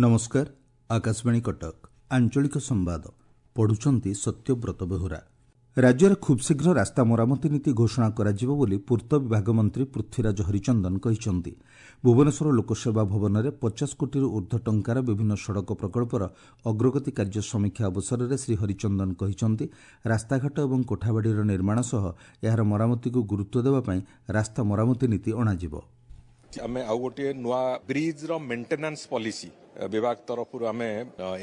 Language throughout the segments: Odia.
ନମସ୍କାର, ଆକାଶବାଣୀ କଟକ, ଆଞ୍ଚଳିକ ସମ୍ବାଦ ପଢୁଛନ୍ତି ସତ୍ୟବ୍ରତ ବେହୁରା। ରାଜ୍ୟରେ ଖୁବ୍ଶୀଘ୍ର ରାସ୍ତା ମରାମତି ନୀତି ଘୋଷଣା କରାଯିବ ବୋଲି ପୂର୍ତ୍ତ ବିଭାଗ ମନ୍ତ୍ରୀ ପୃଥ୍ୱୀରାଜ ହରିଚନ୍ଦନ କହିଛନ୍ତି। ଭୁବନେଶ୍ୱର ଲୋକସେବା ଭବନରେ 50 କୋଟିରୁ ଊର୍ଦ୍ଧ୍ୱ ଟଙ୍କାର ବିଭିନ୍ନ ସଡ଼କ ପ୍ରକଳ୍ପର ଅଗ୍ରଗତି କାର୍ଯ୍ୟ ସମୀକ୍ଷା ଅବସରରେ ଶ୍ରୀ ହରିଚନ୍ଦନ କହିଛନ୍ତି, ରାସ୍ତାଘାଟ ଏବଂ କୋଠାବାଡ଼ିର ନିର୍ମାଣ ସହ ଏହାର ମରାମତିକୁ ଗୁରୁତ୍ୱ ଦେବା ପାଇଁ ରାସ୍ତା ମରାମତି ନୀତି ଅଣାଯିବ। ଆମେ ଆଉ ଗୋଟିଏ ନୂଆ ବ୍ରିଜ୍ର ମେଣ୍ଟେନାନ୍ସ ପଲିସି ବିଭାଗ ତରଫରୁ ଆମେ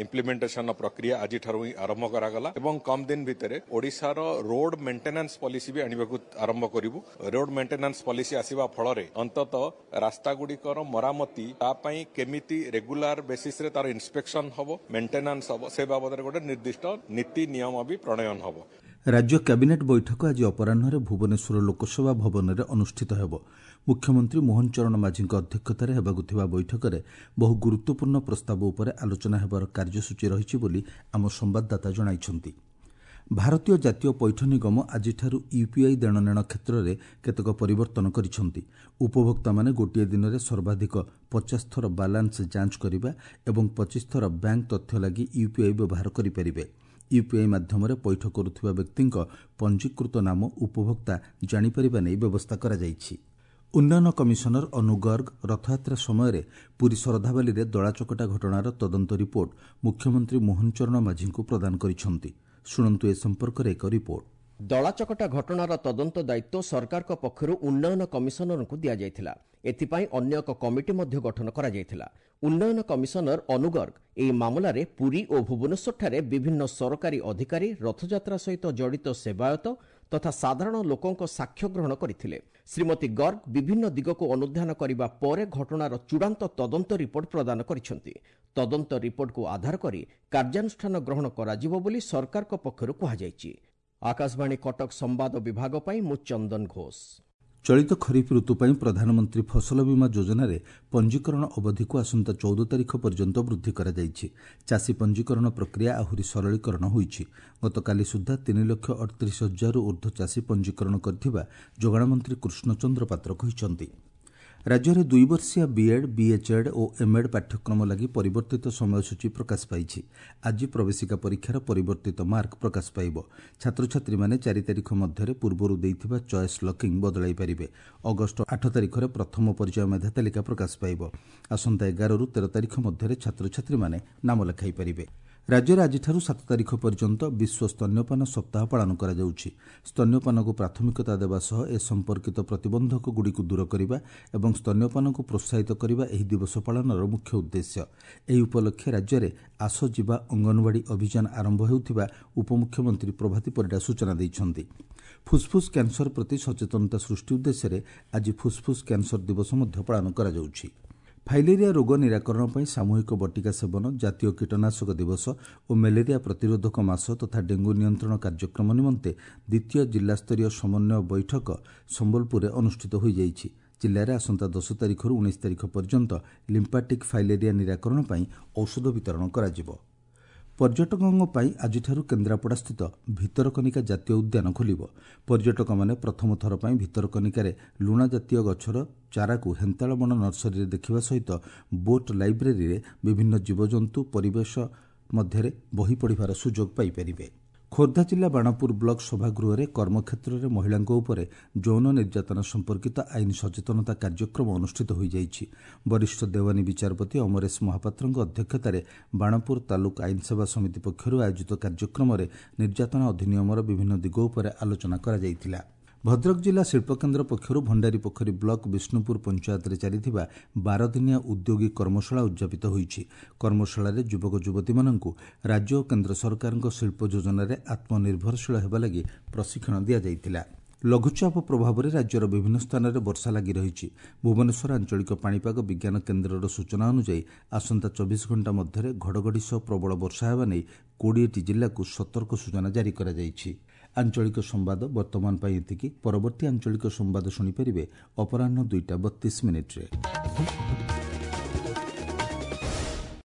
ଇମ୍ପ୍ଲିମେଣ୍ଟେସନ ପ୍ରକ୍ରିୟା ଆଜିଠାରୁ ହିଁ ଆରମ୍ଭ କରାଗଲା ଏବଂ କମ୍ ଦିନ ଭିତରେ ଓଡ଼ିଶାର ରୋଡ୍ ମେଣ୍ଟେନାନ୍ସ ପଲିସି ବି ଆଣିବାକୁ ଆରମ୍ଭ କରିବୁ। ରୋଡ୍ ମେଣ୍ଟେନାନ୍ସ ପଲିସି ଆସିବା ଫଳରେ ଅନ୍ତତଃ ରାସ୍ତାଗୁଡ଼ିକର ମରାମତି ତା ପାଇଁ କେମିତି ରେଗୁଲାର ବେସିସ୍ରେ ତାର ଇନ୍ସପେକ୍ସନ ହେବ, ମେଣ୍ଟେନାନ୍ସ ହେବ, ସେ ବାବଦରେ ଗୋଟେ ନିର୍ଦ୍ଦିଷ୍ଟ ନୀତି ନିୟମ ବି ପ୍ରଣୟନ ହେବ। ରାଜ୍ୟ କ୍ୟାବିନେଟ୍ ବୈଠକ ଆଜି ଅପରାହ୍ନରେ ଭୁବନେଶ୍ୱର ଲୋକସେବା ଭବନରେ ଅନୁଷ୍ଠିତ ହେବ। ମୁଖ୍ୟମନ୍ତ୍ରୀ ମୋହନ ଚରଣ ମାଝୀଙ୍କ ଅଧ୍ୟକ୍ଷତାରେ ହେବାକୁ ଥିବା ବୈଠକରେ ବହୁ ଗୁରୁତ୍ୱପୂର୍ଣ୍ଣ ପ୍ରସ୍ତାବ ଉପରେ ଆଲୋଚନା ହେବାର କାର୍ଯ୍ୟସୂଚୀ ରହିଛି ବୋଲି ଆମ ସମ୍ବାଦଦାତା ଜଣାଇଛନ୍ତି। ଭାରତୀୟ ଜାତୀୟ ପୈଠ ନିଗମ ଆଜିଠାରୁ ୟୁପିଆଇ ଦେଣନେଣ କ୍ଷେତ୍ରରେ କେତେକ ପରିବର୍ତ୍ତନ କରିଛନ୍ତି। ଉପଭୋକ୍ତାମାନେ ଗୋଟିଏ ଦିନରେ ସର୍ବାଧିକ 50 ଥର ବାଲାନ୍ସ ଯାଞ୍ଚ କରିବା ଏବଂ 25 ଥର ବ୍ୟାଙ୍କ ତଥ୍ୟ ଲାଗି ୟୁପିଆଇ ବ୍ୟବହାର କରିପାରିବେ। ୟୁପିଆଇ ମାଧ୍ୟମରେ ପୈଠ କରୁଥିବା ବ୍ୟକ୍ତିଙ୍କ ପଞ୍ଜୀକୃତ ନାମ ଉପଭୋକ୍ତା ଜାଣିପାରିବା ନେଇ ବ୍ୟବସ୍ଥା କରାଯାଇଛି। ଉନ୍ନୟନ କମିଶନର ଅନୁ ଗର୍ଗ ରଥଯାତ୍ରା ସମୟରେ ପୁରୀ ଶରଧାବାଲିରେ ଦଳାଚକଟା ଘଟଣାର ତଦନ୍ତ ରିପୋର୍ଟ ମୁଖ୍ୟମନ୍ତ୍ରୀ ମୋହନ ଚରଣ ମାଝୀଙ୍କୁ ପ୍ରଦାନ କରିଛନ୍ତି। ଶୁଣନ୍ତୁ ଏ ସମ୍ପର୍କରେ ଏକ ରିପୋର୍ଟ। ଦଳାଚକଟା ଘଟଣାର ତଦନ୍ତ ଦାୟିତ୍ୱ ସରକାରଙ୍କ ପକ୍ଷରୁ ଉନ୍ନୟନ କମିଶନରଙ୍କୁ ଦିଆଯାଇଥିଲା। ଏଥିପାଇଁ ଅନ୍ୟ ଏକ କମିଟି ମଧ୍ୟ ଗଠନ କରାଯାଇଥିଲା। ଉନ୍ନୟନ କମିଶନର ଅନୁ ଗର୍ଗ ଏହି ମାମଲାରେ ପୁରୀ ଓ ଭୁବନେଶ୍ୱରଠାରେ ବିଭିନ୍ନ ସରକାରୀ ଅଧିକାରୀ, ରଥଯାତ୍ରା ସହିତ ଜଡ଼ିତ ସେବାୟତ ତଥା ସାଧାରଣ ଲୋକଙ୍କ ସାକ୍ଷ୍ୟ ଗ୍ରହଣ କରିଥିଲେ। ଶ୍ରୀମତୀ ଗର୍ଗ ବିଭିନ୍ନ ଦିଗକୁ ଅନୁଧ୍ୟାନ କରିବା ପରେ ଘଟଣାର ଚୂଡ଼ାନ୍ତ ତଦନ୍ତ ରିପୋର୍ଟ ପ୍ରଦାନ କରିଛନ୍ତି। ତଦନ୍ତ ରିପୋର୍ଟକୁ ଆଧାର କରି କାର୍ଯ୍ୟାନୁଷ୍ଠାନ ଗ୍ରହଣ କରାଯିବ ବୋଲି ସରକାରଙ୍କ ପକ୍ଷରୁ କୁହାଯାଇଛି। ଆକାଶବାଣୀ କଟକ ସମ୍ବାଦ ବିଭାଗ ପାଇଁ ମୁଁ ଚନ୍ଦନ ଘୋଷ। ଚଳିତ ଖରିଫ ଋତୁ ପାଇଁ ପ୍ରଧାନମନ୍ତ୍ରୀ ଫସଲ ବୀମା ଯୋଜନାରେ ପଞ୍ଜୀକରଣ ଅବଧିକୁ ଆସନ୍ତା 14 ତାରିଖ ପର୍ଯ୍ୟନ୍ତ ବୃଦ୍ଧି କରାଯାଇଛି। ଚାଷୀ ପଞ୍ଜୀକରଣ ପ୍ରକ୍ରିୟା ଆହୁରି ସରଳୀକରଣ ହୋଇଛି। ଗତକାଲି ସୁଦ୍ଧା 3,38,000ରୁ ଊର୍ଦ୍ଧ୍ୱ ଚାଷୀ ପଞ୍ଜୀକରଣ କରିଥିବା ଯୋଗାଣ ମନ୍ତ୍ରୀ କୃଷ୍ଣଚନ୍ଦ୍ର ପାତ୍ର କହିଛନ୍ତି। ରାଜ୍ୟରେ 2 ବର୍ଷିଆ ବିଏଡ୍, ବିଏଚ୍ଏଡ୍ ଓ ଏମ୍ଏଡ୍ ପାଠ୍ୟକ୍ରମ ଲାଗି ପରିବର୍ତ୍ତିତ ସମୟସୂଚୀ ପ୍ରକାଶ ପାଇଛି। ଆଜି ପ୍ରବେଶିକା ପରୀକ୍ଷାର ପରିବର୍ତ୍ତିତ ମାର୍କ ପ୍ରକାଶ ପାଇବ। ଛାତ୍ରଛାତ୍ରୀମାନେ 4 ତାରିଖ ମଧ୍ୟରେ ପୂର୍ବରୁ ଦେଇଥିବା ଚଏସ୍ ଲକିଂ ବଦଳାଇ ପାରିବେ। ଅଗଷ୍ଟ 8 ତାରିଖରେ ପ୍ରଥମ ପର୍ଯ୍ୟାୟ ମେଧା ତାଲିକା ପ୍ରକାଶ ପାଇବ। ଆସନ୍ତା 11ରୁ 13 ତାରିଖ ମଧ୍ୟରେ ଛାତ୍ରଛାତ୍ରୀମାନେ ନାମ ଲେଖାଇ ପାରିବେ। ରାଜ୍ୟରେ ଆଜିଠାରୁ 7 ତାରିଖ ପର୍ଯ୍ୟନ୍ତ ବିଶ୍ୱ ସ୍ତନ୍ୟପାନ ସପ୍ତାହ ପାଳନ କରାଯାଉଛି। ସ୍ତନ୍ୟପାନକୁ ପ୍ରାଥମିକତା ଦେବା ସହ ଏ ସମ୍ପର୍କିତ ପ୍ରତିବନ୍ଧକଗୁଡ଼ିକୁ ଦୂର କରିବା ଏବଂ ସ୍ତନ୍ୟପାନକୁ ପ୍ରୋତ୍ସାହିତ କରିବା ଏହି ଦିବସ ପାଳନର ମୁଖ୍ୟ ଉଦ୍ଦେଶ୍ୟ। ଏହି ଉପଲକ୍ଷେ ରାଜ୍ୟରେ ଆସ ଯିବା ଅଙ୍ଗନବାଡ଼ି ଅଭିଯାନ ଆରମ୍ଭ ହେଉଥିବା ଉପମୁଖ୍ୟମନ୍ତ୍ରୀ ପ୍ରଭାତୀ ପରିଡ଼ା ସୂଚନା ଦେଇଛନ୍ତି। ଫୁସ୍ଫୁସ୍ କ୍ୟାନ୍ସର ପ୍ରତି ସଚେତନତା ସୃଷ୍ଟି ଉଦ୍ଦେଶ୍ୟରେ ଆଜି ଫୁସ୍ଫୁସ୍ କ୍ୟାନ୍ସର ଦିବସ ମଧ୍ୟ ପାଳନ କରାଯାଉଛି। ଫାଇଲେରିଆ ରୋଗ ନିରାକରଣ ପାଇଁ ସାମୂହିକ ବଟିକା ସେବନ, ଜାତୀୟ କୀଟନାଶକ ଦିବସ ଓ ମ୍ୟାଲେରିଆ ପ୍ରତିରୋଧକ ମାସ ତଥା ଡେଙ୍ଗୁ ନିୟନ୍ତ୍ରଣ କାର୍ଯ୍ୟକ୍ରମ ନିମନ୍ତେ ଦ୍ୱିତୀୟ ଜିଲ୍ଲାସ୍ତରୀୟ ସମନ୍ୱୟ ବୈଠକ ସମ୍ବଲପୁରରେ ଅନୁଷ୍ଠିତ ହୋଇଯାଇଛି। ଜିଲ୍ଲାରେ ଆସନ୍ତା 10 ତାରିଖରୁ 19 ତାରିଖ ପର୍ଯ୍ୟନ୍ତ ଲିମ୍ପାଟିକ୍ ଫାଇଲେରିଆ ନିରାକରଣ ପାଇଁ ଔଷଧ ବିତରଣ କରାଯିବ। ପର୍ଯ୍ୟଟକଙ୍କ ପାଇଁ ଆଜିଠାରୁ କେନ୍ଦ୍ରାପଡ଼ାସ୍ଥିତ ଭିତରକନିକା ଜାତୀୟ ଉଦ୍ୟାନ ଖୋଲିବ। ପର୍ଯ୍ୟଟକମାନେ ପ୍ରଥମ ଥର ପାଇଁ ଭିତରକନିକାରେ ଲୁଣା ଜାତୀୟ ଗଛର ଚାରାକୁ ହେନ୍ତାଳ ବଣ ନର୍ସରୀରେ ଦେଖିବା ସହିତ ବୋଟ୍ ଲାଇବ୍ରେରୀରେ ବିଭିନ୍ନ ଜୀବଜନ୍ତୁ ପରିବେଶ ମଧ୍ୟରେ ବହି ପଢ଼ିବାର ସୁଯୋଗ ପାଇପାରିବେ। ଖୋର୍ଦ୍ଧା ଜିଲ୍ଲା ବାଣପୁର ବ୍ଲକ ସଭାଗୃହରେ କର୍ମକ୍ଷେତ୍ରରେ ମହିଳାଙ୍କ ଉପରେ ଯୌନ ନିର୍ଯାତନା ସମ୍ପର୍କିତ ଆଇନ ସଚେତନତା କାର୍ଯ୍ୟକ୍ରମ ଅନୁଷ୍ଠିତ ହୋଇଯାଇଛି। ବରିଷ୍ଠ ଦେୱାନୀ ବିଚାରପତି ଅମରେଶ ମହାପାତ୍ରଙ୍କ ଅଧ୍ୟକ୍ଷତାରେ ବାଣପୁର ତାଲୁକ ଆଇନସେବା ସମିତି ପକ୍ଷରୁ ଆୟୋଜିତ କାର୍ଯ୍ୟକ୍ରମରେ ନିର୍ଯାତନା ଅଧିନିୟମର ବିଭିନ୍ନ ଦିଗ ଉପରେ ଆଲୋଚନା କରାଯାଇଥିଲା। ଭଦ୍ରକ ଜିଲ୍ଲା ଶିଳ୍ପକେନ୍ଦ୍ର ପକ୍ଷରୁ ଭଣ୍ଡାରୀପୋଖରୀ ବ୍ଲକ ବିଷ୍ଣୁପୁର ପଞ୍ଚାୟତରେ ଚାଲିଥିବା 12 ଦିନିଆ ଉଦ୍ୟୋଗୀ କର୍ମଶାଳା ଉଦ୍ଯାପିତ ହୋଇଛି। କର୍ମଶାଳାରେ ଯୁବକ ଯୁବତୀମାନଙ୍କୁ ରାଜ୍ୟ ଓ କେନ୍ଦ୍ର ସରକାରଙ୍କ ଶିଳ୍ପ ଯୋଜନାରେ ଆତ୍ମନିର୍ଭରଶୀଳ ହେବା ଲାଗି ପ୍ରଶିକ୍ଷଣ ଦିଆଯାଇଥିଲା। ଲଘୁଚାପ ପ୍ରଭାବରେ ରାଜ୍ୟର ବିଭିନ୍ନ ସ୍ଥାନରେ ବର୍ଷା ଲାଗି ରହିଛି। ଭୁବନେଶ୍ୱର ଆଞ୍ଚଳିକ ପାଣିପାଗ ବିଜ୍ଞାନ କେନ୍ଦ୍ରର ସୂଚନା ଅନୁଯାୟୀ ଆସନ୍ତା 24 ଘଣ୍ଟା ମଧ୍ୟରେ ଘଡ଼ଘଡ଼ି ସହ ପ୍ରବଳ ବର୍ଷା ହେବା ନେଇ 20ଟି ଜିଲ୍ଲାକୁ ସତର୍କ ସୂଚନା ଜାରି କରାଯାଇଛି। ଆଞ୍ଚଳିକ ସମ୍ବାଦ ବର୍ତ୍ତମାନ ପାଇଁ ଏତିକି। ପରବର୍ତ୍ତୀ ଆଞ୍ଚଳିକ ସମ୍ବାଦ ଶୁଣିପାରିବେ ଅପରାହ୍ନ 2ଟା 32 ମିନିଟ୍ରେ।